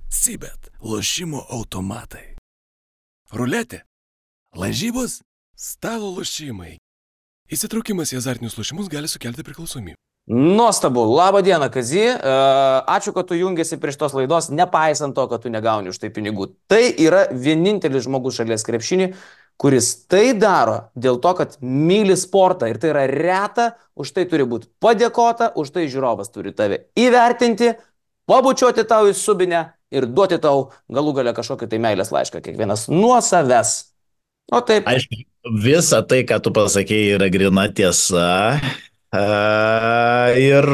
Sibet, lošimo automatai. Ruletė, lažybos, stalo lošimai. Įsitraukimas į azartinius lošimus gali sukelti priklausomybę. Nuostabu. Labą dieną, Kazy. Ačiū, kad tu jungiasi prie šitos laidos, nepaisant to, kad tu negauni už tai pinigų. Tai yra vienintelis žmogus šalies krepšinį, kuris tai daro dėl to, kad myli sportą. Ir tai yra reta, už tai turi būti padėkota, už tai žiūrovas turi tave įvertinti, pabučiuoti tau į subinę ir duoti tau galų gale kažkokį tai meilės laišką, kiekvienas nuo savęs. O taip. Aišku, visa tai, ką tu pasakėjai, yra grina tiesa. Ir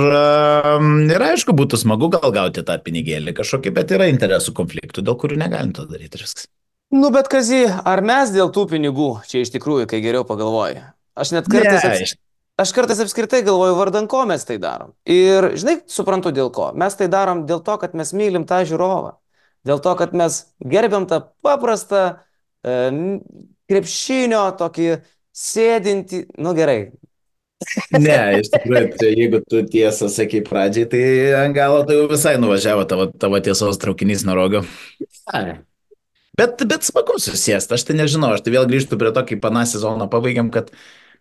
aišku, būtų smagu gal gauti tą pinigėlį kažkokį, bet yra interesų konfliktų, dėl kurių negalim to daryti ir viskas. Nu, bet Kazy, ar mes dėl tų pinigų čia iš tikrųjų, kai geriau pagalvoji? Aš net kartais apskritai galvoju, vardan ko mes tai darom. Ir, žinai, suprantu dėl ko. Mes tai darom dėl to, kad mes mylim tą žiūrovą. Dėl to, kad mes gerbiam tą paprastą krepšinio tokį sėdintį, nu gerai. Ne, iš tikrųjų, jeigu tu tiesą sakai pradžiai, tai ant galo tai jau visai nuvažiavo tavo tiesos traukinys nuo rogo. Bet smagu susėsti, aš tai nežinau, aš tai vėl grįžtu prie to, kaip aną sezoną pabaigiam, kad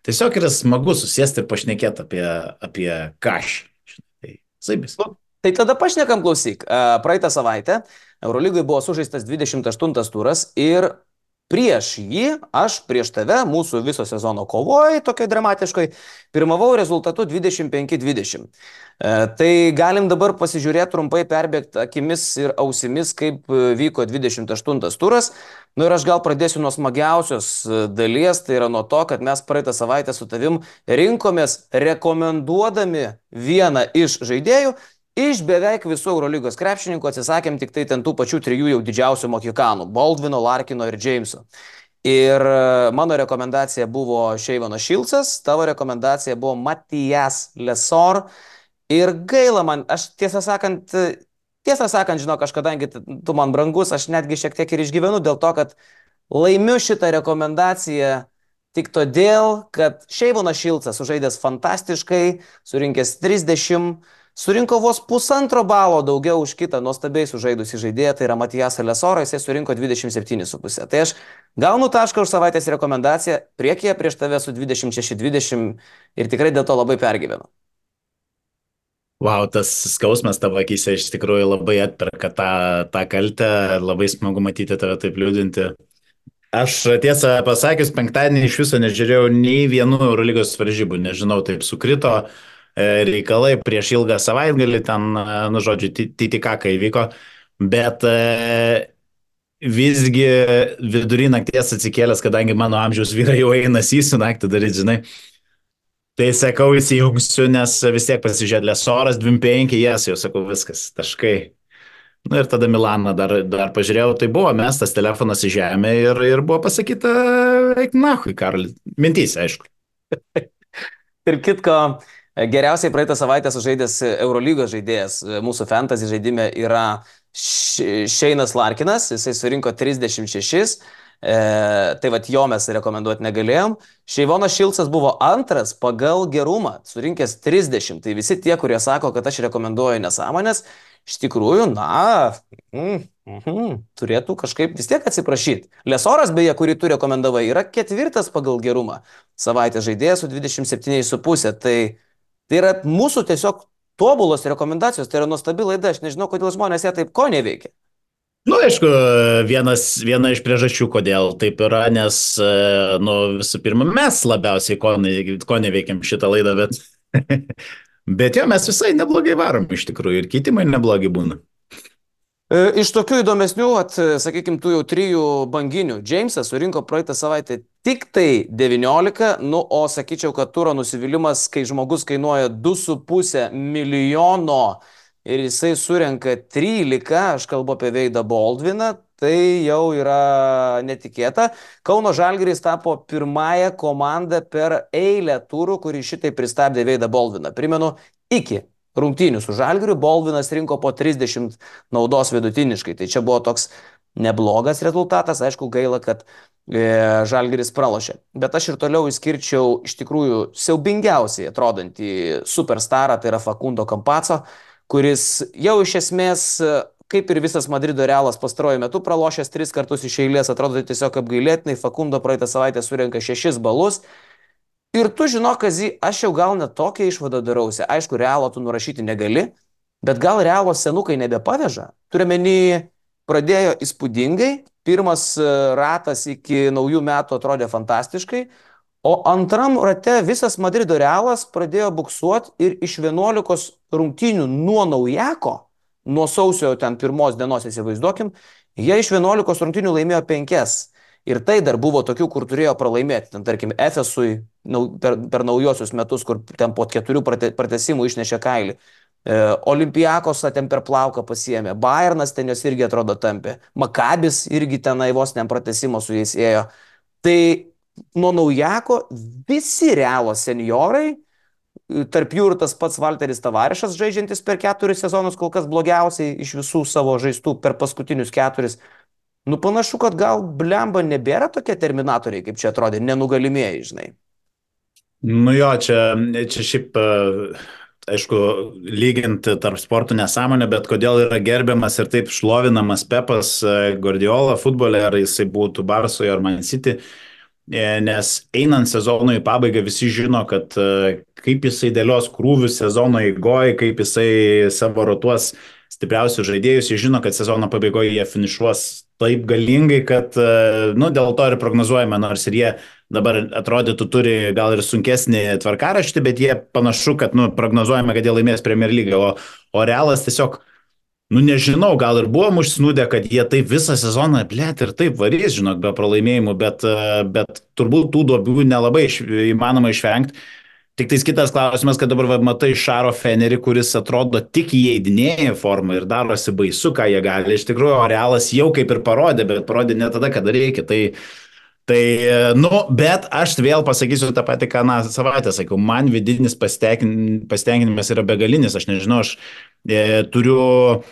tiesiog yra smagu susėsti ir pašnekėti apie kažką. Tai saibis. Tai tada pašnekam, klausyk. Praeitą savaitę Eurolygoje buvo sužaistas 28 turas ir prieš jį, aš prieš tave, mūsų viso sezono kovoje, tokiai dramatiškai, pirmavau rezultatu 25-20. Tai galim dabar pasižiūrėti trumpai, perbėgti akimis ir ausimis, kaip vyko 28 turas. Nu ir aš gal pradėsiu nuo smagiausios dalies, tai yra nuo to, kad mes praeitą savaitę su tavim rinkomės rekomenduodami vieną iš žaidėjų. Iš beveik visų Eurolygos krepšininkų atsisakėm tik tai ten tų pačių trijų jau didžiausių mohikanų - Baldvino, Larkino ir Jameso. Ir mano rekomendacija buvo Šeivonas Šilcas, tavo rekomendacija buvo Matijas Lesor. Ir gaila man, aš tiesą sakant, žinok, aš kadangi tu man brangus, aš netgi šiek tiek ir išgyvenu dėl to, kad laimiu šitą rekomendaciją tik todėl, kad Šeivonas Šilcas sužaidęs fantastiškai, surinkęs 30, surinko vos 1,5 balo daugiau už kitą nuostabiai sužaidusį žaidėją, tai yra Matijas Lesorą, jisai surinko 27,5. Tai aš gaunu tašką už savaitės rekomendaciją, priekyje prieš tave su 26-20 ir tikrai dėl to labai pergyvenu. Wow, tas skausmas tavo akyse iš tikrųjų labai atperka tą kaltę, labai smagu matyti tave taip liūdinti. Aš tiesą pasakius, penktadienį iš viso nežiūrėjau nei vienų Eurolygos varžybų, nežinau, taip sukrito reikalai prieš ilgą savaitgalį, ten, nu žodžiu, TTK įvyko, bet visgi vidury nakties atsikėlęs, kadangi mano amžiaus vyrai jau eina sysiu naktį daryti, žinai, tai sakau, įsijungsiu, nes vis tiek pasižiūrėt Lesoras 25, jau sakau, viskas, taškai. Nu ir tada Milaną dar pažiūrėjau, tai buvo mestas telefonas į žemę ir buvo pasakyta, eik nahui, Karli, mintys, aišku. Ir kitko, geriausiai praeitą savaitę sužaidęs Eurolygos žaidėjas mūsų fantasy žaidime yra Šeinas Larkinas, jisai surinko 36, tai vat jo mes rekomenduoti negalėjom. Šeivonas Šilcas buvo antras pagal gerumą, surinkęs 30, tai visi tie, kurie sako, kad aš rekomenduoju nesąmonės, iš tikrųjų, turėtų kažkaip vis tiek atsiprašyti. Lesoras, beje, kurį tu rekomendavai, yra 4 pagal gerumą savaitės žaidėjas su 27,5, tai yra mūsų tiesiog tobulos rekomendacijos, tai yra nuostabi laida, aš nežinau, kodėl žmonės ją taip ko neveikia. Nu, aišku, viena iš priežasčių, kodėl taip yra, nes, nu, visų pirma, mes labiausiai ko neveikiam šitą laidą, bet jo, mes visai neblogai varom iš tikrųjų ir keitimai neblogi būna. Iš tokių įdomesnių, sakykim, tų jau 3 banginių, Jamesas surinko praeitą savaitę tik tai 19, nu, o sakyčiau, kad turo nusivylimas, kai žmogus kainuoja 2,5 milijono ir jisai surenka 13, aš kalbu apie Veidą Baldviną, tai jau yra netikėta. Kauno Žalgiris tapo pirmąją komandą per eilę turų, kuri šitai pristabdė Veidą Baldviną. Primenu, iki rungtynių su Žalgiriu Baldvinas rinko po 30 naudos vidutiniškai. Tai čia buvo toks neblogas rezultatas, aišku, gaila, kad Žalgiris pralošė. Bet aš ir toliau išskirčiau iš tikrųjų siaubingiausiai atrodantį superstarą, tai yra Facundo Campazzo, kuris jau iš esmės kaip ir visas Madrido Realas pastaruoju metu pralošęs 3 kartus iš eilės, atrodo tiesiog apgailėtinai, Fakundo praeitą savaitę surenka 6 balus. Ir tu žinok, Kazy, aš jau gal net tokią išvadą darausi. Aišku, Realo tu nurašyti negali, bet gal Realo senukai nebepaveža. Turiuomenį, pradėjo įspūdingai, pirmas ratas iki naujų metų atrodė fantastiškai, o antram rate visas Madrido Realas pradėjo buksuoti ir iš 11 rungtynių nuo naujako, nuo sausio ten pirmos dienos įsivaizduokim, jie iš 11 rungtynių laimėjo 5. Ir tai dar buvo tokių, kur turėjo pralaimėti. Ten, tarkim, Efesui per naujosius metus, kur ten po 4 pratesimų išnešė kailį. Olimpiakos ten per plauką pasiėmė. Bayernas ten jos irgi atrodo tampė. Makabis irgi tenai vos ten pratesimo su jais ėjo. Tai nuo naujako visi Realo seniorai, tarp jų ir tas pats Valteris Tavarišas, žaidžiantis per 4 sezonus kol kas blogiausiai iš visų savo žaistų per paskutinius 4. Nu, panašu, kad gal blemba nebėra tokie terminatoriai, kaip čia atrodė, nenugalimieji, žinai. Nu jo, čia šiaip, aišku, lyginti tarp sportų nesąmonė, bet kodėl yra gerbiamas ir taip šlovinamas Pepas Guardiola futbole, ar jisai būtų Barsoje ar Man City, nes einant sezonui į pabaigą visi žino, kad kaip jisai dėlios krūvius sezono eigoje, kaip jisai savo rotuos stipriausius žaidėjus, jie žino, kad sezono pabaigoje jie finišuos taip galingai, kad, nu, dėl to ir prognozuojame, nors ir jie dabar atrodytų turi gal ir sunkesnį tvarkaraštį, bet jie panašu, kad, nu, prognozuojame, kad jie laimės Premier League, o Realas tiesiog, nu, nežinau, gal ir buvom užsnūdę, kad jie taip visą sezoną, blėt, ir taip varys, žinok, be pralaimėjimų, bet turbūt tų duobių nelabai įmanoma išvengti. Tik tais kitas klausimas, kad dabar matai Šaro Fenerį, kuris atrodo tik įeidinėja formą ir darosi baisu, ką jie gali. Iš tikrųjų, Realas jau kaip ir parodė, bet parodė ne tada, kada reikia. Tai, nu, bet aš vėl pasakysiu tą patį, ką savaitę sakiau. Man vidinis pasitenkinimas yra begalinis. Aš nežinau, aš turiu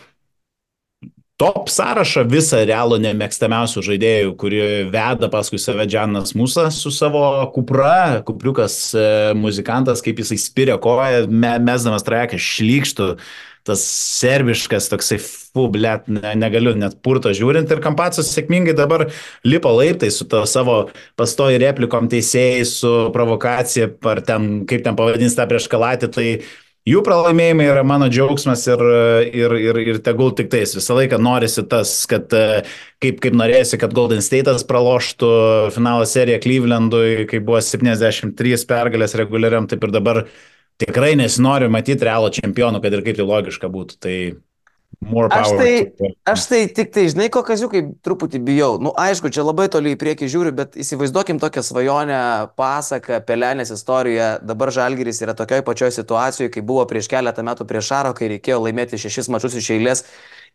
top sąrašą visą Realo nemėgstamiausių žaidėjų, kuri veda paskui save Džanas Musa su savo Kupra, Kupriukas muzikantas, kaip jisai spiria koją, mesdamas trajeką, šlykštų, tas serbiškas toksai, blėt, negaliu net purto žiūrint, ir Kampacas sėkmingai dabar lipo laiptai su to savo pastoji replikom teisėjai, su provokacija, ar ten, kaip ten pavadins tą prieš Kalatį, tai jų pralaimėjimai yra mano džiaugsmas ir tegul tik tais. Visą laiką norisi tas, kad kaip norėsi, kad Golden State'as praloštų finalo seriją Clevelandui, kai buvo 73 pergalės reguliariam, taip ir dabar tikrai nesinori matyti Realo čempionų, kad ir kaip tai logiška būtų. Tai Aš tai tik tai, žinai, ko Kaziukai truputį bijau. Nu, aišku, čia labai toli į priekį žiūriu, bet įsivaizduokim tokią svajonę, pasaką, Pelenės istoriją. Dabar Žalgiris yra tokioj pačioj situacijoje, kai buvo prieš keletą metų prieš Šaro, kai reikėjo laimėti 6 mačus iš eilės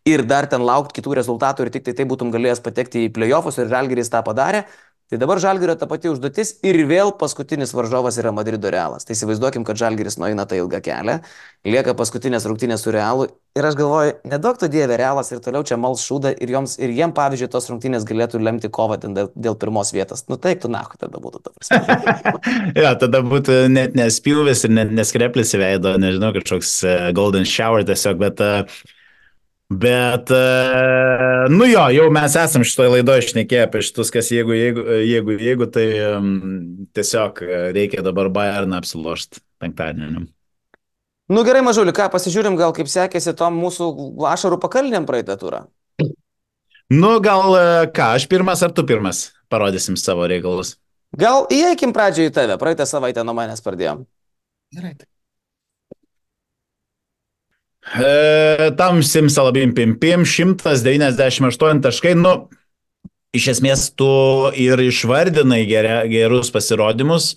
ir dar ten laukti kitų rezultatų ir tik tai būtum galėjęs patekti į play-offus ir Žalgiris tą padarė. Tai dabar Žalgirio ta pati užduotis ir vėl paskutinis varžovas yra Madrido Realas. Tai įsivaizduokim, kad Žalgiris nueina tą ilgą kelią, lieka paskutinės rungtynės su Realu ir aš galvoju, nedaug to dieve Realas ir toliau čia mals šūdą ir jiem, pavyzdžiui, tos rungtynės galėtų lemti kovą dėl pirmos vietos. Nu taip, tu nahu tada būtų ta prasme. Ja, tada būtų net nespjūvis ir net neskreplis į veidą, nežinau, kažkoks golden shower tiesiog, Bet, nu jo, jau mes esam šitoje laidoje šnekėję apie šitus, kas jeigu, tai tiesiog reikia dabar Bayerną apsilošti penktadienį. Nu gerai, Mažuli, ką, pasižiūrim gal kaip sekėsi tom mūsų ašarų pakalnėm praeitą turą. Nu gal ką, aš pirmas ar tu pirmas parodysim savo reikalus. Gal įeikim pradžioje į tave, praeitą savaitę nuo manęs pradėjom. Gerai. Tam simsalabim pimpim 198 taškai, nu, iš esmės tu ir išvardinai gerus pasirodymus,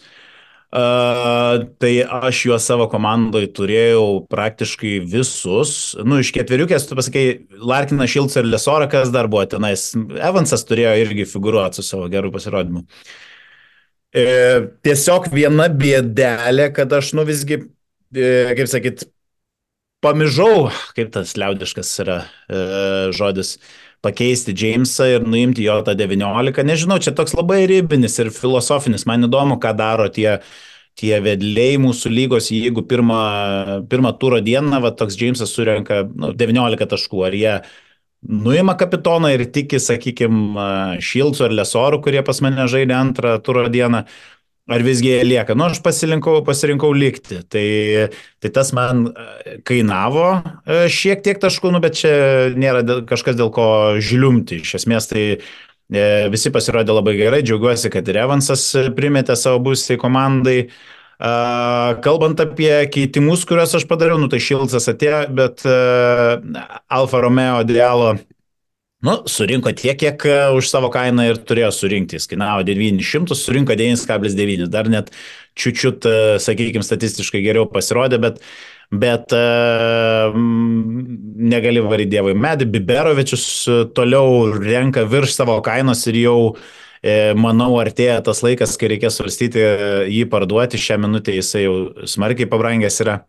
tai aš juos savo komandoje turėjau praktiškai visus, nu, iš ketveriukės, tu pasakai, Larkinas, Šilcas ir Lesora, kas dar buvo tenais, Evansas turėjo irgi figūruoti su savo gerų pasirodymu. Tiesiog viena bėdelė, kad aš, nu, visgi, kaip sakyt, pamižau, kaip tas liaudiškas yra žodis, pakeisti Jamesą ir nuimti jo tą 19. Nežinau, čia toks labai ribinis ir filosofinis. Man įdomu, ką daro tie vedliai mūsų lygos, jeigu pirmą turo dieną toks Jamesas surenka 19 taškų. Ar jie nuima kapitoną ir tiki, sakykime, Šilco ar Lesorų, kurie pas mane žaidė antrą turo dieną, ar visgi jie lieka. Nu, aš pasirinkau likti. Tai tas man kainavo šiek tiek taškų, nu, bet čia nėra kažkas dėl ko žliumti. Iš esmės tai visi pasirodė labai gerai, džiaugiuosi, kad ir Evansas primetė savo būsiai komandai. Kalbant apie keitimus, kuriuos aš padariau, nu tai Šilcas atėjo, bet Alfa Romeo Dialo, nu, surinko tiek, kiek už savo kainą ir turėjo surinkti. Jis kainavo 900, surinko 9,9. Dar net čiučiut, sakykime, statistiškai geriau pasirodė, bet negali varyti dievai. Medi Biberovičius toliau renka virš savo kainos ir jau manau, artėja tas laikas, kai reikės svarstyti jį parduoti. Šią minutę jisai jau smarkiai pabrangęs yra.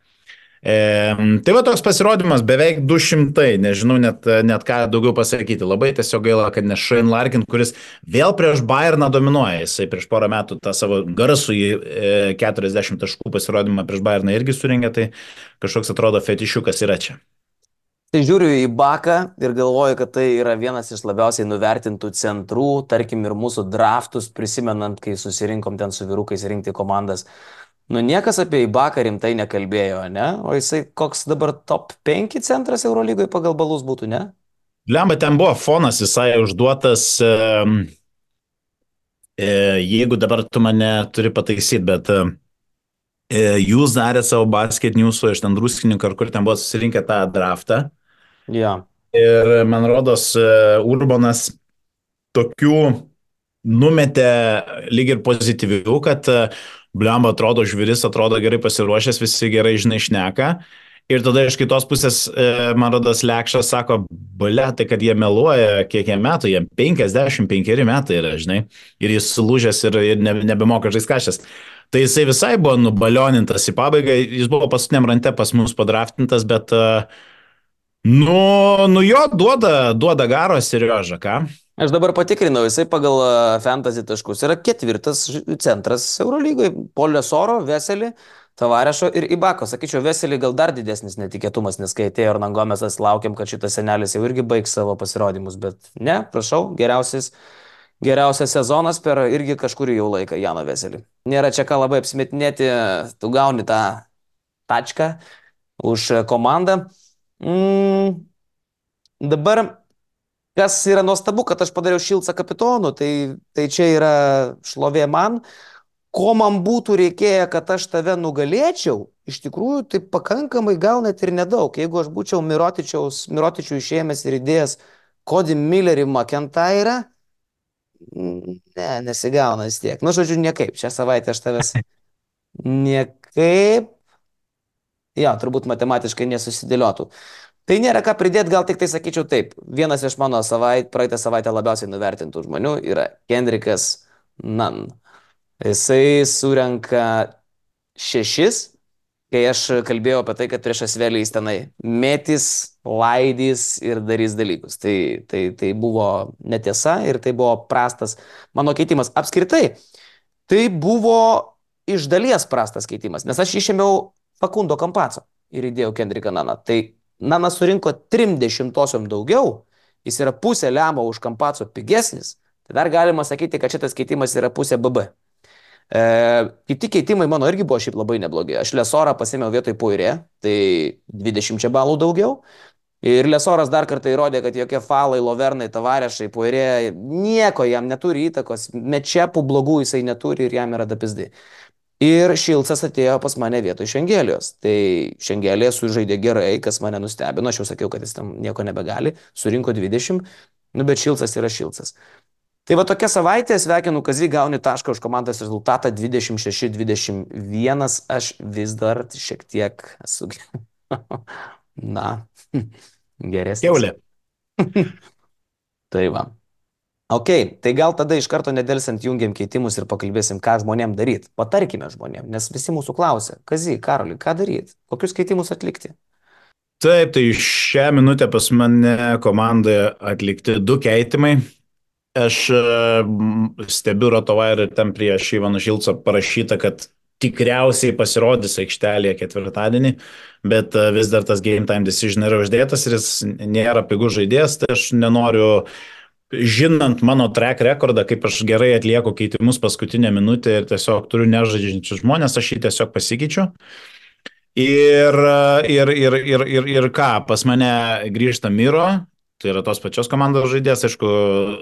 Tai va toks pasirodymas, beveik 200, nežinau net ką daugiau pasakyti. Labai tiesiog gaila, kad ne Shane Larkin, kuris vėl prieš Bayerną dominuoja. Jisai prieš porą metų tą savo garsų į 40 taškų pasirodymą prieš Bayerną irgi surengė, tai kažkoks atrodo fetišiukas yra čia. Tai žiūriu į Baką ir galvoju, kad tai yra vienas iš labiausiai nuvertintų centrų, tarkim ir mūsų draftus, prisimenant, kai susirinkom ten su vyrukais rinkti komandas. Nu, niekas apie Ibaką rimtai nekalbėjo, ne? O jisai koks dabar top 5 centras Eurolygoje pagal balus būtų, ne? Lemba, ten buvo fonas visai užduotas, jeigu dabar tu mane turi pataisyti, bet jūs darė savo basket news'o iš ten druskininką, ar kur ten buvo susirinkę tą draftą. Ja. Ir man rodos, Urbanas tokių numetė lyg ir pozityvių, kad blemba atrodo žviris, atrodo gerai pasiruošęs, visi gerai žinai šneka. Ir tada iš kitos pusės, man rodos, Lekšas sako, ble, tai kad jie meluoja, kiek jie metų, jie 55 metai yra, žinai, ir jis sulūžęs ir nebemoka žaiskašęs. Tai jisai visai buvo nubalionintas į pabaigą, jis buvo paskutiniam rante pas mus padraftintas, bet nu jo duoda garo Seriožą, ką? Aš dabar patikrinau, jisai pagal fantasy taškus yra 4 centras Eurolygoje, po Lesoro, Veselį, Tavarešo ir Ibako. Sakyčiau, Veselį gal dar didesnis netikėtumas, nes kai atėjo Hernan Gomesas, laukiam, kad šitas senelis jau irgi baigs savo pasirodymus, bet ne, prašau, geriausias sezonas per irgi kažkurį jau laiką Jano Veselį. Nėra čia ką labai apsimetinėti, tu gauni tą tačką už komandą. Dabar, kas yra nuostabu, kad aš padariau Šilcą kapitonu, tai čia yra šlovė man. Ko man būtų reikėję, kad aš tave nugalėčiau, iš tikrųjų, tai pakankamai gal net ir nedaug. Jeigu aš būčiau Mirotičių išėmęs ir įdėjęs Cody Millerį McIntyrą, nesigauna vis tiek. Nu, žodžiu, niekaip. Šią savaitę aš tavęs niekaip, turbūt matematiškai nesusidėliotų. Tai nėra ką pridėti, gal tik tai sakyčiau taip. Vienas iš mano praeitą savaitę labiausiai nuvertintų žmonių yra Kendrickas Nunn. Jisai surenka 6, kai aš kalbėjau apie tai, kad prieš Asvelį jis tenai mėtys, laidys ir darys dalykus. Tai buvo netiesa ir tai buvo prastas mano keitimas. Apskritai, tai buvo iš dalies prastas keitimas, nes aš išėmiau Facundo Campazzo ir įdėjau Kendricką Nunną. Tai Nunnas surinko 30 daugiau, jis yra pusė lemo už Campazzo pigesnis, tai dar galima sakyti, kad šitas keitimas yra pusė BB. Kiti keitimai mano irgi buvo šiaip labai neblogi. Aš Lesorą pasėmiau vietoj Poirė, tai 20 balų daugiau. Ir Lesoras dar kartą įrodė, kad jokie falai, Lovernai, Tavarešai, Poirė, nieko jam neturi įtakos, mečepų blogų jisai neturi ir jam yra dapizdai. Ir Šilcas atėjo pas mane vietoj Šengelijos. Tai Šengelija sužaidė gerai, kas mane nustebino. Aš jau sakiau, kad jis tam nieko nebegali. Surinko 20, bet Šilcas yra Šilcas. Tai va tokia savaitė, sveikinu Kazį, gauni tašką už komandos rezultatą 26-21. Aš vis dar šiek tiek esu, geresnis. Keulė. Tai va. Ok, tai gal tada iš karto nedelsiant jungiam keitimus ir pakalbėsim, ką žmonėm daryti. Patarkime žmonėm, nes visi mūsų klausia, Kazį, Karoli, ką daryti, kokius keitimus atlikti. Taip, tai šią minutę pas mane komandoje atlikti 2 keitimai. Aš stebiu Rotovairą ir ten prieš Ivaną Šilcą parašyta, kad tikriausiai pasirodys aikštelėje ketvirtadienį, bet vis dar tas game time decision yra uždėtas ir jis nėra pigus žaidėjas, tai aš nenoriu, žinant mano track rekordą, kaip aš gerai atlieku keitimus paskutinę minutę ir tiesiog turiu nežaidžiančius žmonės, aš jį tiesiog pasikeičiu. Ir ką, pas mane grįžta Miro, tai yra tos pačios komandos žaidėjas, aišku,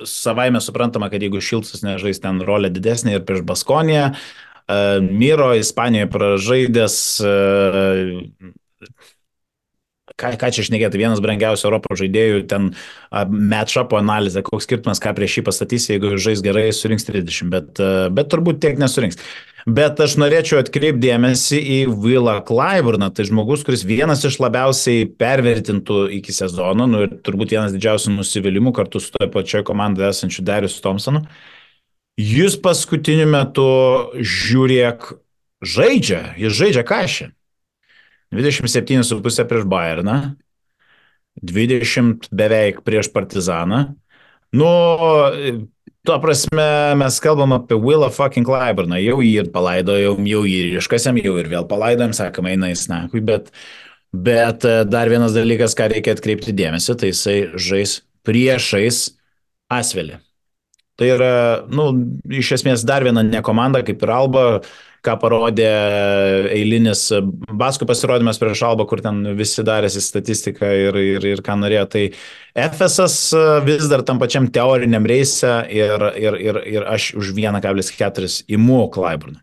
savaime suprantama, kad jeigu Šilcas nežais ten rolę didesnį ir prieš Baskoniją, Miro Ispanijoje pražaidęs, ką čia šnekėti, vienas brangiausių Europos žaidėjų, ten match-up analizė, koks skirtumas, ką prieš jį pastatysi, jeigu žais gerai, surinks 30, bet turbūt tiek nesurinks. Bet aš norėčiau atkreipdėmėsi į Willą Clyburną, tai žmogus, kuris vienas iš labiausiai pervertintų iki sezono, nu ir turbūt vienas didžiausių nusivylimų kartu su toje pačioje komandoje esančiu Darius Thompsonu. Jis paskutiniu metu, žiūrėk, jis žaidžia kažį. 27,5 prieš Bayerną, 20 beveik prieš Partizaną. Nu, tuo prasme, mes kalbam apie Willą fucking Clyburną, jau jį ir palaidojom, jau jį ir iškasėm, jau ir vėl palaidojom, sakom, eina į snakui, bet dar vienas dalykas, ką reikia atkreipti dėmesį, tai jisai žais priešais Asvelį. Tai yra, nu, iš esmės dar viena ne komanda, kaip ir Alba, ką parodė eilinis Baskų pasirodymas prieš Albą, kur ten visi darėsi statistiką ir ką norėjo. Tai FSS vis dar tam pačiam teoriniam reise ir aš už 1,4 imu Clyburną.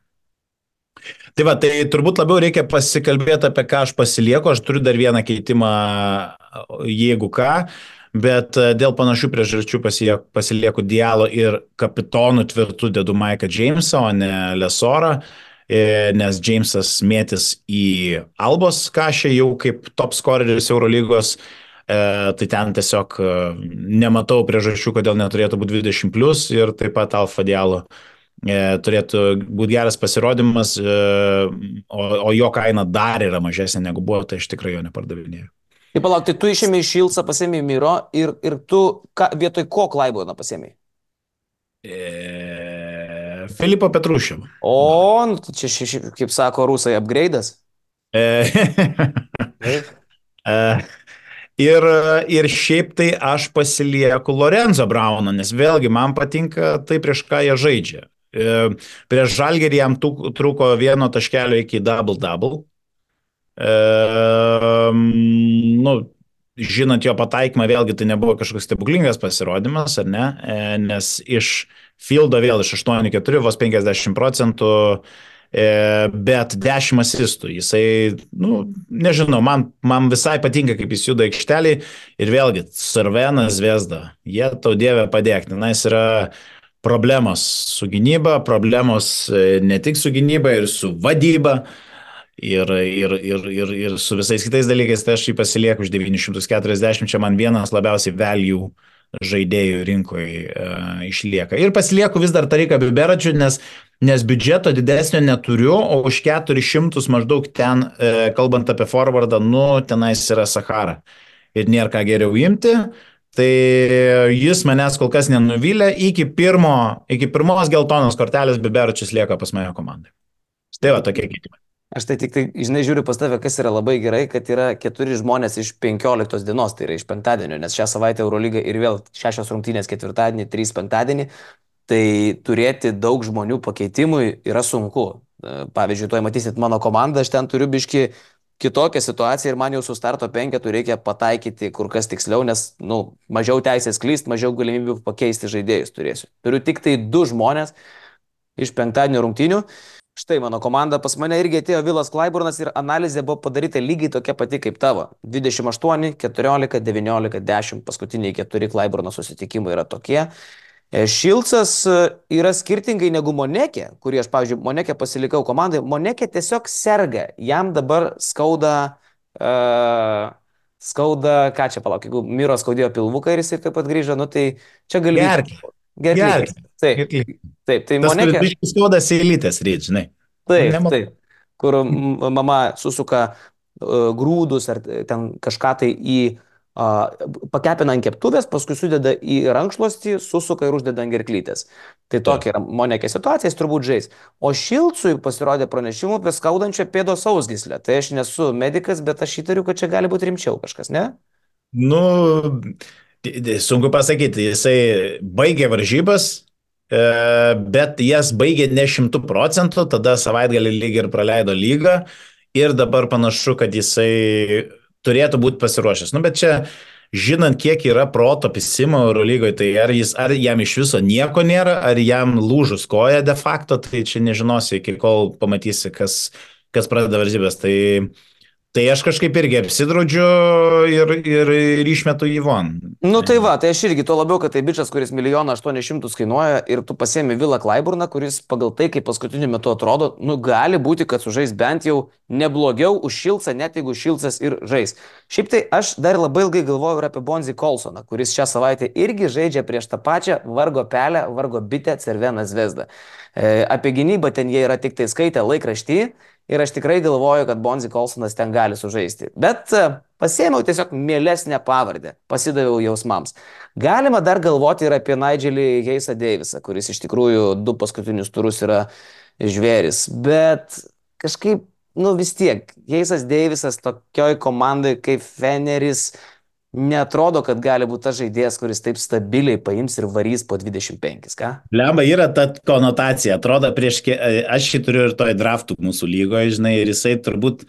Tai va, tai turbūt labiau reikia pasikalbėti, apie ką aš pasilieku. Aš turiu dar vieną keitimą, jeigu ką. Bet dėl panašių priežasčių pasilieku Diallo ir kapitonų tvirtų dedu Mike'ą Jamesą, o ne Lesorą, nes Jamesas mėtis į Albos kažę jau kaip top scoreris Eurolygos, tai ten tiesiog nematau priežasčių, kodėl neturėtų būti 20+, ir taip pat Alfa Diallo turėtų būti geras pasirodymas, o jo kaina dar yra mažesnė negu buvo, tai aš tikrai jo nepardavinėjau. Tai palauk, tai tu išėmė iš Šilcą, pasėmė Miro ir tu vietoj ko Clyburną pasėmė? Filipo Petrušev. O, nu, čia, kaip sako rusai, upgrade'as. Ir šiaip tai aš pasilieku Lorenzo Brauną, nes vėlgi man patinka tai, prieš ką jie žaidžia. Prieš Žalgirį jam trūko 1 taškelio iki double-double. Nu, žinant jo pataikymą, vėlgi tai nebuvo kažkoks stebuklingas pasirodymas, ar ne, nes iš fieldo vėl iš 8-4, vos 50%, bet 10 asistų. Jisai, nu, nežinau, man visai patinka, kaip jis juda aikštelį, ir vėlgi, Cervena, Zvezda, jie tau dievę padėk, nes yra problemos su gynyba, problemos ne tik su gynyba ir su vadyba, ir su visais kitais dalykais, tai aš jį pasilieku už 940, čia man vienas labiausiai value žaidėjų rinkoje išlieka. Ir pasilieku vis dar Tariką Biberačių, nes biudžeto didesnio neturiu, o už 400 maždaug ten, kalbant apie forwardą, nu, tenais yra Sahara. Ir nėra ką geriau imti. Tai jis manęs kol kas nenuvylė, iki pirmos geltonos kortelės Biberačius lieka pas mane komandai. Tai va, tokie keitimai. Aš tai tik, žinai, žiūriu pas tave, kas yra labai gerai, kad yra 4 žmonės iš 15 dienos, tai yra iš penktadienio, nes šią savaitę Eurolyga ir vėl 6 rungtynės ketvirtadienį, 3 penktadienį, tai turėti daug žmonių pakeitimui yra sunku. Pavyzdžiui, tuoj matysit mano komandą, aš ten turiu biški kitokią situaciją ir man jau su starto 5 reikia pataikyti kur kas tiksliau, nes, nu, mažiau teisės klyst, mažiau galimybių pakeisti žaidėjus turėsiu. Turiu tik tai 2 žmonės iš penktadienio rungtynių. Štai mano komanda, pas mane irgi atėjo Willas Clyburnas ir analizė buvo padaryta lygiai tokia pati kaip tavo. 28, 14, 19, 10, paskutiniai 4 Clyburno susitikimai yra tokie. Šilcas yra skirtingai negu Monekė, kurį aš, pavyzdžiui, Monekė pasilikau komandai. Monekė tiesiog serga, jam dabar skauda, ką čia palauk, jeigu Miro skaudėjo pilvuką ir jis taip pat grįžo, nu tai čia gali... Gerklį. Taip, tai Monekė... Tas biškis skaudas eilytės ryt, žinai. Taip, kur mama susuka grūdus ar ten kažką tai į pakepina ant keptuvės, paskui sudeda į rankšluostį, susuka ir uždeda ant gerklytės. Tai tokia yra Monekė situacija, jis turbūt žais. O Šilcui pasirodė pranešimų apie skaudančią pėdos sausgyslę. Tai aš nesu medikas, bet aš įtariu, kad čia gali būti rimčiau kažkas, ne? Nu, sunku pasakyti, jisai baigė varžybas, bet jas baigė ne 100%, tada savaitgalį lyg ir praleido lygą ir dabar panašu, kad jisai turėtų būti pasiruošęs. Nu, bet čia, žinant, kiek yra proto pisimo Eurolygoje, tai ar jam iš viso nieko nėra, ar jam lūžus koja de facto, tai čia nežinosi, iki kol pamatysi, kas pradeda varžybės. Tai aš kažkaip irgi apsidraudžiu ir išmetu jį von. Nu tai va, tai aš irgi, tuo labiau, kad tai bičias, kuris 1 800 000 kainuoja ir tu pasiemi Vilą Klaiburną, kuris pagal tai, kaip paskutiniu metu atrodo, nu gali būti, kad sužais bent jau neblogiau už Šilcą, net jeigu Šilcas ir žais. Šiaip tai aš dar labai ilgai galvojau ir apie Bonzi Kolsoną, kuris šią savaitę irgi žaidžia prieš tą pačią vargo pelę, vargo bitę Cerveną Zvezdą. Apie gynybą ten jie yra tik tai skaitę laikraštį. Ir aš tikrai galvoju, kad Bonzi Kolsonas ten gali sužaisti. Bet pasėmiau tiesiog mielesnę pavardę, pasidaviau jausmams. Galima dar galvoti ir apie Nigelį Heisą Davisą, kuris iš tikrųjų 2 paskutinius turus yra žvėris. Bet kažkaip, nu vis tiek, Heisas Davisas tokioj komandai kaip Feneris neatrodo, kad gali būti tas žaidėjas, kuris taip stabiliai paims ir varys po 25, ką? Lemba, yra ta konotacija, atrodo, aš jį turiu ir toj draftų mūsų lygoje, žinai, ir jisai turbūt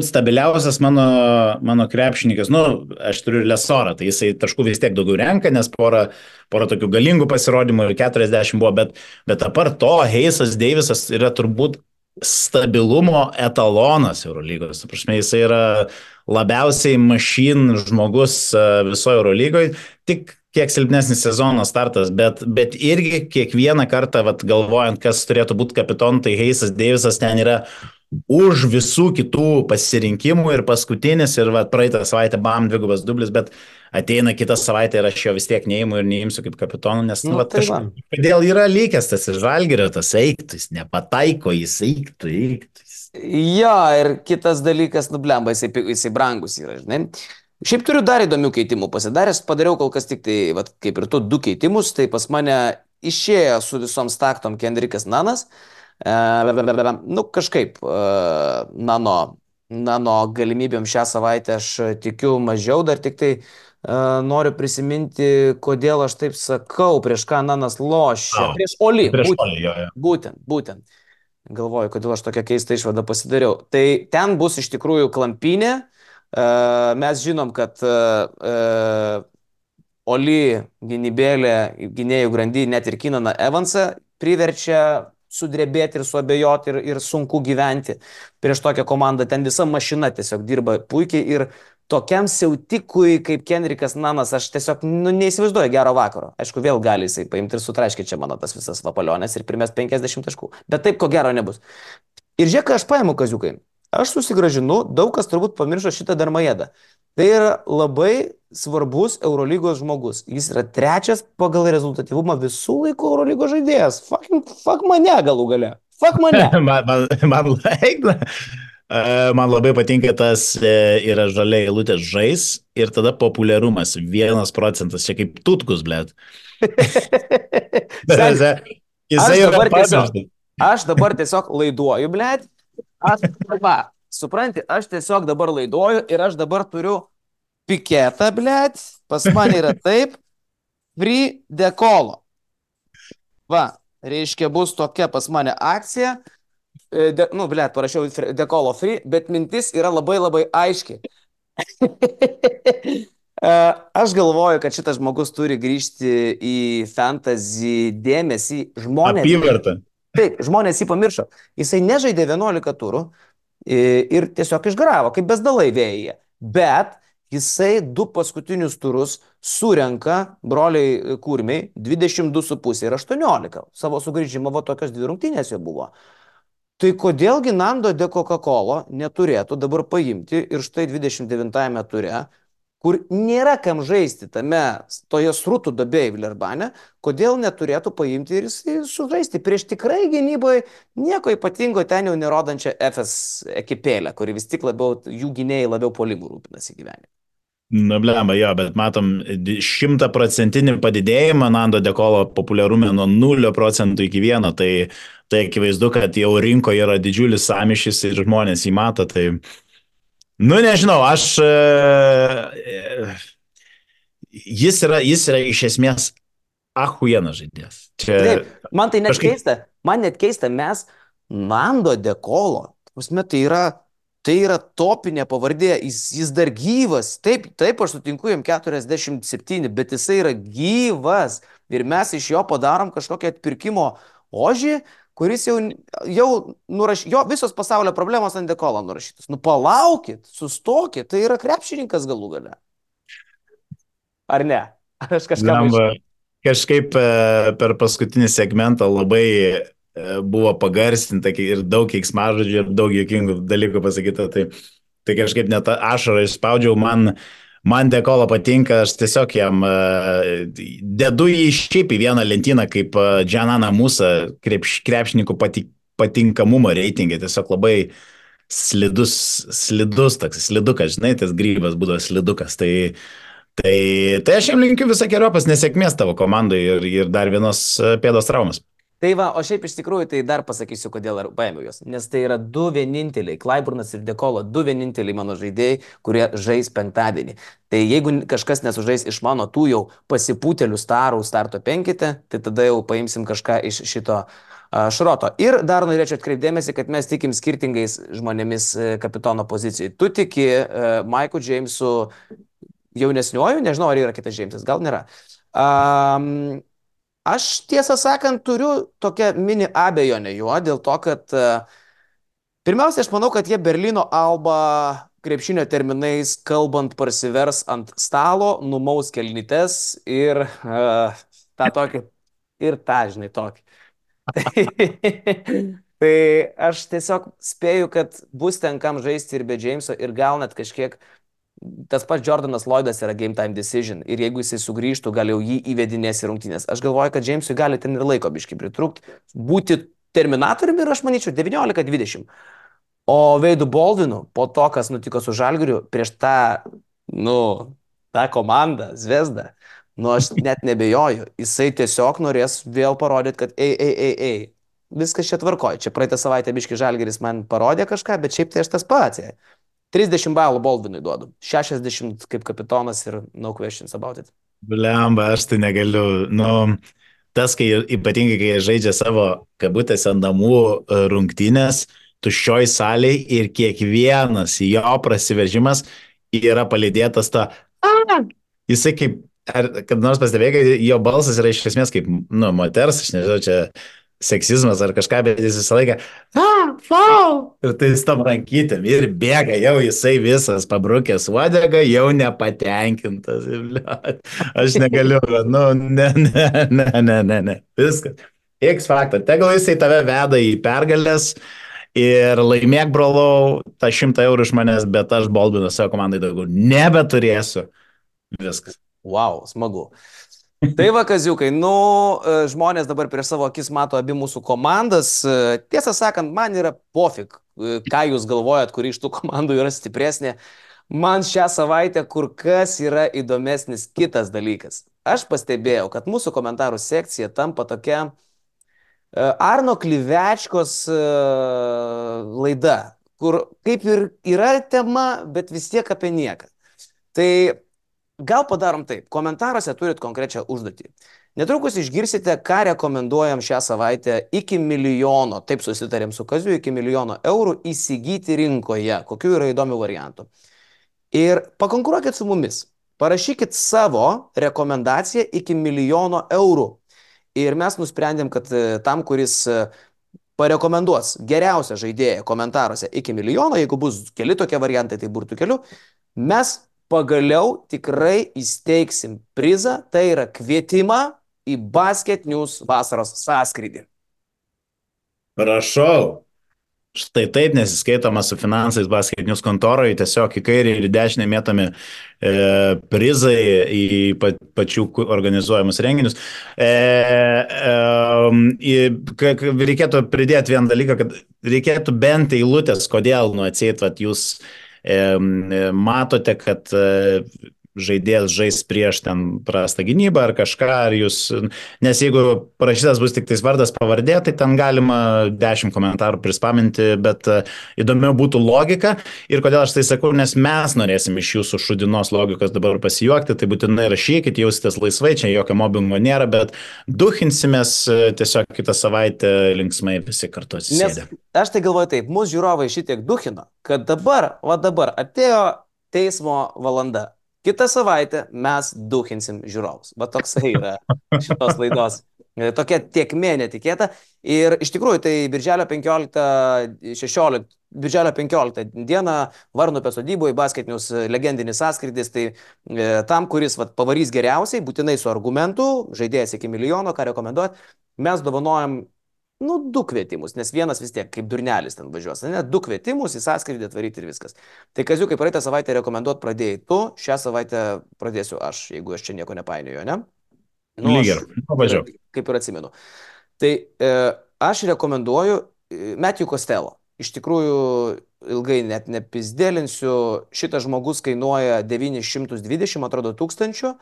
stabiliausias mano krepšininkas, nu, aš turiu ir Lesorą, tai jisai taškų vis tiek daugiau renka, nes porą tokių galingų pasirodymų ir 40 buvo, bet apart to, Heisas Davisas yra turbūt stabilumo etalonas Eurolygos. Prasme, jisai yra labiausiai mašin žmogus visoje Eurolygoje, tik kiek silpnesnis sezono startas, bet irgi kiekvieną kartą, vat, galvojant, kas turėtų būti kapitonu, tai Heisas Davisas ten yra už visų kitų pasirinkimų ir paskutinis, ir vat, praeitą savaitę bam 2 dublis, bet ateina kitą savaitę ir aš jo vis tiek neįimu ir neįimsiu kaip kapitonu, nes nu, tai kažkodėl yra lykęs tas Žalgirio, tas eiktus, nepataiko, jis eiktus. Jo, ir kitas dalykas, nublemba, jisai brangus yra, žinai. Šiaip turiu dar įdomių keitimų pasidaręs, padariau kol kas tik tai, vat, kaip ir tu, 2 keitimus, tai pas mane išėjo su visom staktom Kendrikas Nanas, nu kažkaip, nano galimybėm šią savaitę aš tikiu mažiau, dar tik tai noriu prisiminti, kodėl aš taip sakau, prieš ką Nanas lošia. Prieš Oli. Būtent. Galvoju, kodėl aš tokią keistą išvadą pasidariau. Tai ten bus iš tikrųjų klampynė. Mes žinom, kad Oli gynybėlė, gynėjų grandy, net ir Kinaną Evansą priverčia sudrebėti ir suabejoti ir sunku gyventi prieš tokią komandą. Ten visa mašina tiesiog dirba puikiai ir tokiam siautikui kaip Kendrikas Nanas aš tiesiog neįsivaizduoju gero vakaro. Aišku, vėl gali jisai paimti ir sutraiškyti čia mano tas visas vapalionės ir primės 50 taškų. Bet taip ko gero nebus. Ir žiūrėk, ką aš paimu, kaziukai. Aš susigražinu, daug kas turbūt pamiršo šitą Darmajedą. Tai yra labai svarbus Eurolygos žmogus. Jis yra 3 pagal rezultatyvumą visų laikų Eurolygos žaidėjas. Fuck mane galų gale. Fuck mane. Man labai patinka tas yra žalia eilutė žais ir tada populiarumas 1%. Čia kaip tutkus, blėt. Aš dabar tiesiog laiduoju, blėt. Supranti, aš tiesiog dabar laiduoju ir aš dabar turiu piketą, blėt. Pas mane yra taip. Free dekolo. Va, reiškia, bus tokia pas mane akcija. Parašiau dekolo free, bet mintis yra labai labai aiški. Aš galvoju, kad šitas žmogus turi grįžti į fantasy dėmesį. Apyvartą. Taip, žmonės jį pamiršo. Jisai nežaidė 11 turų ir tiesiog išgaravo, kaip bezdalai vėjyje. Bet jisai 2 paskutinius turus surenka broliai Kurmiai 22,5 ir 18. Savo sugrįžimo tokios 2 rungtynės jo buvo. Tai kodėlgi Nando de Coca-Cola neturėtų dabar paimti ir štai 29 ture, kur nėra kam žaisti toje srutų duobėje Vilerbane, kodėl neturėtų paimti ir sužaisti prieš tikrai gynyboje nieko ypatingo ten jau nerodančią FS ekipėlę, kuri vis tik labiau, jų gynėjai labiau puolimų rūpinasi gyvenime. Nu, blemba, jo, bet matom 100% padidėjimą Nando Dekolo populiarume nuo 0% iki 1, tai akivaizdu, kad jau rinkoje yra didžiulis samišis ir žmonės jį mato, tai, nu, nežinau, jis yra iš esmės ahujienas žaidėjas. Čia Taip, man tai net kažkaip keista, mes Nando Dekolo, tai yra topinė pavardė, jis dar gyvas, taip, aš sutinku, jam 47, bet jisai yra gyvas ir mes iš jo padarom kažkokią atpirkimo ožį, kuris jau jo visos pasaulio problemos ant Dekolo nurašytos. Nu palaukit, sustokit, tai yra krepšininkas galų gale. Ar ne? Ar aš kažką Kažkaip per paskutinį segmentą labai buvo pagarsinta ir daug keiksmažodžių ir daug juokingų dalykų pasakyta. Tai kažkaip net ašarą išspaudžiau, man Dekolo patinka, aš tiesiog jam dedu jį šiaip į vieną lentyną kaip Džananą Musą krepšininkų patinkamumo reitingė, tiesiog labai slidus toks, slidukas, žinai, tas grybas būdavo slidukas, Tai aš jam linkiu visokeriopos nesėkmės tavo komandai ir dar vienos pėdos traumas. Tai va, o šiaip iš tikrųjų tai dar pasakysiu, kodėl paėmiau juos. Nes tai yra du vieninteliai, Clyburnas ir Dekolo, du vieninteliai mano žaidėjai, kurie žais penktadienį. Tai jeigu kažkas nesužais iš mano tų jau pasipūtelių starų starto penkite, tai tada jau paimsim kažką iš šito šroto. Ir dar norėčiau atkreipdėmėsi, kad mes tikim skirtingais žmonėmis kapitono pozicijai. Tu tiki Maiku Džeimsu jaunesniuoju, nežinau, ar yra kitas Džeimsas, gal nėra. Aš tiesą sakant turiu tokią mini abejonę juo, dėl to, kad pirmiausia, aš manau, kad jie Berlyno Alba krepšinio terminais kalbant parsivers ant stalo, numaus kelnytes ir tą tokį, ir tą, žinai, tokį. Tai aš tiesiog spėju, kad bus ten kam žaisti ir be Džeimso ir gal net kažkiek tas pats Jordanas Lloydas yra game time decision ir jeigu jisai sugrįžtų, gal jau jį įvedinės į rungtynės. Aš galvoju, kad Džeimsui gali ten ir laiko biškai pritrūkti, būti terminatoriumi ir aš manyčiau 19-20. O Veidu Baldwinu po to, kas nutiko su Žalgiriu, prieš tą komandą, Zvezdą, aš net nebejoju, jisai tiesiog norės vėl parodyti, kad viskas čia tvarkoja. Čia praeitą savaitę biškai Žalgiris man parodė kažką, bet šiaip tai aš tas pats. 30 balų Baldwinui duodu, 60 kaip kapitonas ir no questions about it. Blemba, aš tai negaliu. Tas, ypatingai, kai jie žaidžia savo kabutėse namų rungtynės, tuščioj salėj ir kiekvienas jo prasiveržimas yra palydėtas jisai kaip, kad nors pastebėjai, jo balsas yra iš esmės kaip, moters, aš nežinau, čia seksizmas ar kažką, bet jis visą laiką ir tai stom rankytėm ir bėga, jau jisai visas pabrukęs uodegą, jau nepatenkintas. Aš negaliu, ne, viskas. X faktor, tegul jisai tave veda į pergalės ir laimėk, brolau, tą 100 eurų iš manęs, bet aš Baldwino savo komandai daugiau nebeturėsiu. Viskas. Wow, smagu. Tai va, kaziukai, žmonės dabar prieš savo akis mato abi mūsų komandas. Tiesą sakant, man yra pofik, ką jūs galvojat, kuri iš tų komandų yra stipresnė. Man šią savaitę kur kas yra įdomesnis kitas dalykas. Aš pastebėjau, kad mūsų komentarų sekcija tampa tokia Arno Klivečkos laida, kur kaip ir yra tema, bet vis tiek apie nieką. Tai gal padarom taip, komentaruose turit konkrečią užduotį. Netrukus išgirsite, ką rekomenduojam šią savaitę iki 1 milijono, taip susitarėm su Kaziu, iki 1 milijono eurų įsigyti rinkoje, kokių yra įdomių variantų. Ir pakonkuruokit su mumis, parašykit savo rekomendaciją iki 1 milijono eurų. Ir mes nusprendėm, kad tam, kuris parekomenduos geriausią žaidėją komentaruose iki 1 milijono, jeigu bus keli tokie variantai, tai burtų keliu, mes pagaliau tikrai įsteigsim prizą, tai yra kvietimą į Basket News vasaros sąskrydį. Prašau. Štai taip nesiskaitoma su finansais Basket News kontoroje, tiesiog į kairę ir į dešinę mėtami prizai į pačių organizuojamus renginius. Reikėtų pridėti vieną dalyką, kad reikėtų bent eilutės, kodėl atseit, jūs matote, kad žaidėjas žais prieš ten prastą gynybą ar kažką, ar jūs, nes jeigu parašytas bus tik tais vardas pavardė, tai ten galima 10 komentarų prispaminti, bet įdomiau būtų logika ir kodėl aš tai sakau, nes mes norėsim iš jūsų šudinos logikos dabar pasijuokti, tai būtinai rašykit, jausitės laisvai, čia jokio mobbingo nėra, bet duhinsimės tiesiog kitą savaitę linksmai visi kartu atsisėdę. Nes aš tai galvoju taip, mūsų žiūrovai šitiek duhino, kad dabar atėjo teismo valanda. Kitą savaitę mes duhinsim žiūrovus. Va toksai yra šitos laidos. Tokia tiekmė netikėta. Ir iš tikrųjų, tai birželio 15 dieną Varnupio sodyboje basketinius legendinis sąskrydis. Tai tam, kuris pavarys geriausiai, būtinai su argumentu, žaidėjas iki milijono, ką rekomenduot, mes dovanojam 2 kvietimus, nes vienas vis tiek kaip durnelis ten važiuos. 2 kvietimus į sąskrydį atvaryti ir viskas. Tai Kaziukai, praeitą savaitę rekomenduot pradėjai tu, šią savaitę pradėsiu aš, jeigu aš čia nieko nepainioju, ne? Lygiai, važiuoju. Kaip ir atsimenu. Tai aš rekomenduoju Matthew Costello. Iš tikrųjų, ilgai net nepizdėlinsiu, šitas žmogus kainuoja 920, atrodo, tūkstančių.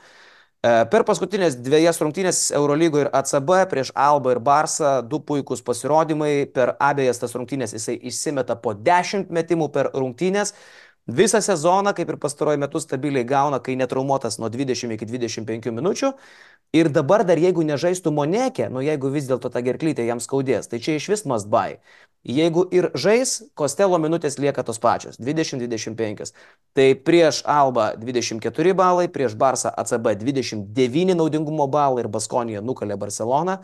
Per paskutinės 2 rungtynės Eurolygoje ir ACB prieš Albą ir Barsą 2 puikūs pasirodymai. Per abejas tas rungtynės jisai išsimeta po 10 metimų per rungtynės. Visą sezoną, kaip ir pastaruoju metu, stabiliai gauna, kai netraumuotas nuo 20 iki 25 minučių. Ir dabar dar jeigu nežaistų Moneke, jeigu vis dėlto ta gerklytė jam skaudės, tai čia iš vis must buy. Jeigu ir žais, Costello minutės lieka tos pačios, 20-25. Tai prieš Albą 24 balai, prieš Barsą ACB 29 naudingumo balai ir Baskonija nukalė Barceloną.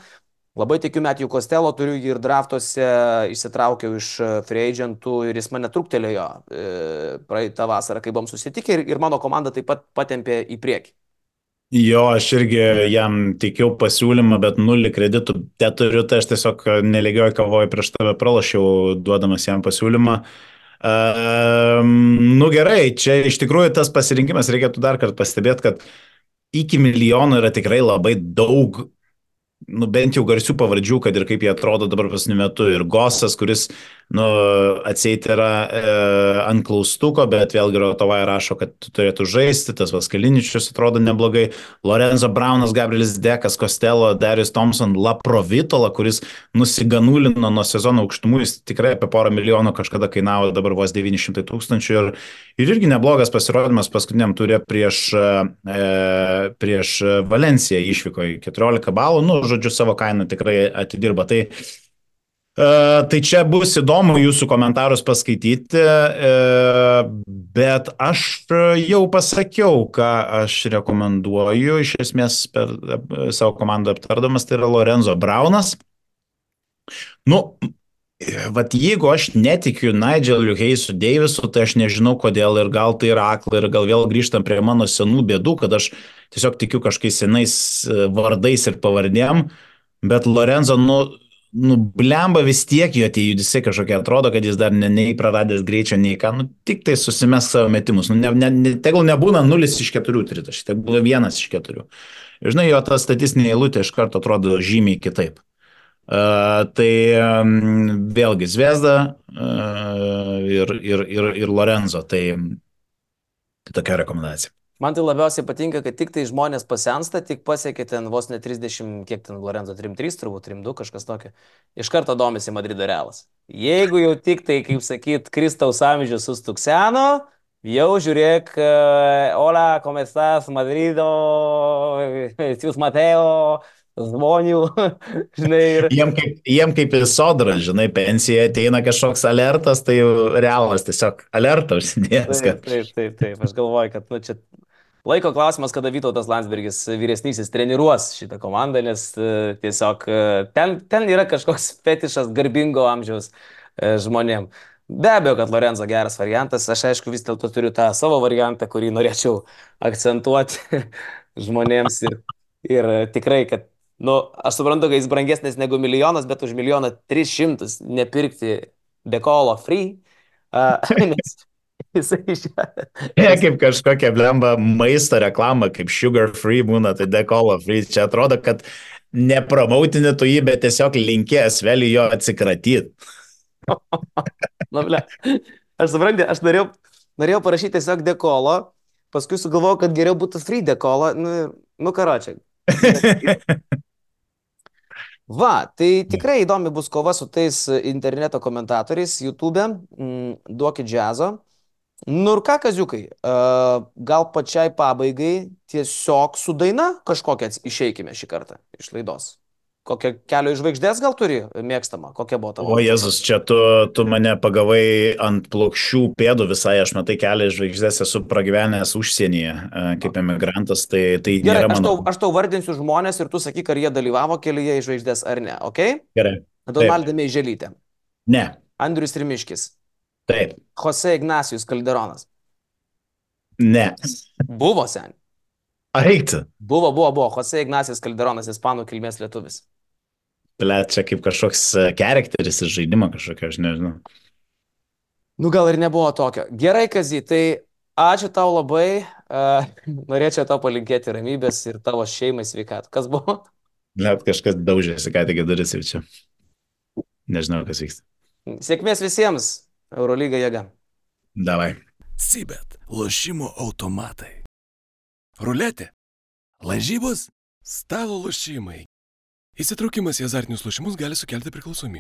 Labai tikiu Matthew Costello, turiu jį ir draftuose, išsitraukiau iš free agentų ir jis mane truktelėjo praeitą vasarą, kai buvom susitikę ir mano komanda taip pat patempė į priekį. Jo, aš irgi jam teikiau pasiūlymą, bet 0 kreditų teturiu, tai aš tiesiog nelegioju kavoju prieš tave pralašiau, duodamas jam pasiūlymą. Gerai, čia iš tikrųjų tas pasirinkimas, reikėtų dar kartą pastebėti, kad iki milijono yra tikrai labai daug, bent jau garsių pavardžių, kad ir kaip jie atrodo dabar pasiniu metu. Ir Gosas, kuris, atseit yra ant klaustuko, bet vėlgi Rotovai rašo, kad turėtų žaisti, tas Vaskaliničius atrodo neblogai. Lorenzo Braunas, Gabrielis Dekas, Costello, Darius Thompson, Laprovitola, kuris nusiganulino nuo sezono aukštumų, jis tikrai apie porą milijonų kažkada kainavo, dabar vos 900 tūkstančių. Ir irgi neblogas pasirodymas paskutiniam turė prieš Valenciją išvyko 14 balų, žodžiu, savo kainą tikrai atidirba. Tai čia bus įdomu jūsų komentarus paskaityti, bet aš jau pasakiau, ką aš rekomenduoju, iš esmės per savo komandą aptardamas, tai yra Lorenzo Braunas. Jeigu aš netikiu Nigeliu Heisu Deivisu, tai aš nežinau kodėl ir gal tai yra akla ir gal vėl grįžtam prie mano senų bėdų, kad aš tiesiog tikiu kažkokiais senais vardais ir pavardėm, bet Lorenzo, blemba vis tiek jo tie judesiai kažkokie atrodo, kad jis dar nei praradęs greičio, nei ką, tik tai susimes savo metimus. Tegul nebūna 0 iš 4 tritaškių, tai būna 1 iš 4. Ir žinai, jo ta statistinė eilutė iš karto atrodo žymiai kitaip. Tai vėlgi Zvezda ir Lorenzo, tai tokia rekomendacija. Man tai labiausiai patinka, kad tik tai žmonės pasensta, tik pasiekė ten vos ne 30, kiek ten Lorenzo 3-3, turbūt 3-2, kažkas tokio. Iš karto domisi Madrido Realas. Jeigu jau tik tai, kaip sakyt, Kristaus amžius sustukseno, jau žiūrėk, hola, ¿cómo estás, Madrido, jūs Mateo, žmonių, žinai. Jiem kaip į sodrą, žinai, pensija ateina kažkoks alertas, tai Realas tiesiog alertą užsidėjęs. Taip, aš galvoju, kad čia laiko klausimas, kada Vytautas Landsbergis vyresnysis treniruos šitą komandą, nes tiesiog ten yra kažkoks fetišas garbingo amžiaus žmonėm. Be abejo, kad Lorenzo geras variantas, aš aišku vis dėlto turiu tą savo variantą, kurį norėčiau akcentuoti žmonėms ir tikrai, kad aš suprantu, kad jis brangesnis negu milijonas, bet už 1,300,000 nepirkti Dekolo free, nes jisai kaip kažkokia blemba maisto reklama, kaip sugar free būna, tai Dekolo free. Čia atrodo, kad nepromoutini tu jį, bet tiesiog linkės vėliau jo atsikratyti. Aš suprantu, aš norėjau parašyti tiesiog Dekolo, paskui sugalvojau, kad geriau būtų Fride kola. Nu karočią. Va, tai tikrai įdomi bus kova su tais interneto komentatoriais YouTube. Duokit džiazo. Nu ir ką, kaziukai, gal pačiai pabaigai tiesiog su daina kažkokią išeikime šį kartą iš laidos. Kokią Kelio į žvaigždės gal turi mėgstamą? Kokia buvo tavo? O Jėzus, čia tu mane pagavai ant plokščių pėdų visai, aš matai Kelią į žvaigždės, esu pragyvenęs užsienyje kaip emigrantas, tai Gerai, nėra mano. Aš tau vardinsiu žmonės ir tu sakyk, ar jie dalyvavo Kelyje į žvaigždės ar ne, ok? Gerai. Donalda Meiželytė. Ne. Andrius Rimiškis. Taip. Jose Ignacijus Calderonas. Ne. Buvo sen. Eikti. Buvo. Jose Ignacijus Calderonas, ispanų kilmės lietuvis. Ble, čia kaip kažkoks charakteris iš žaidimo kažkokio, aš nežinau. Nu gal ir nebuvo tokio. Gerai, Kazy, tai ačiū tau labai. Norėčiau tau palinkėti ramybės ir tavo šeimai sveikatų. Kas buvo? Ble, kažkas daužėsi, ką tik duris jau čia. Nežinau, kas vyksta. Sėkmės visiems. Eurolyga jėga. Davai. Sibet, lošimo automatai. Ruletė, lažybos, stalo lošimai. Įsitraukimas į azartinius lošimus gali sukelti priklausomybę.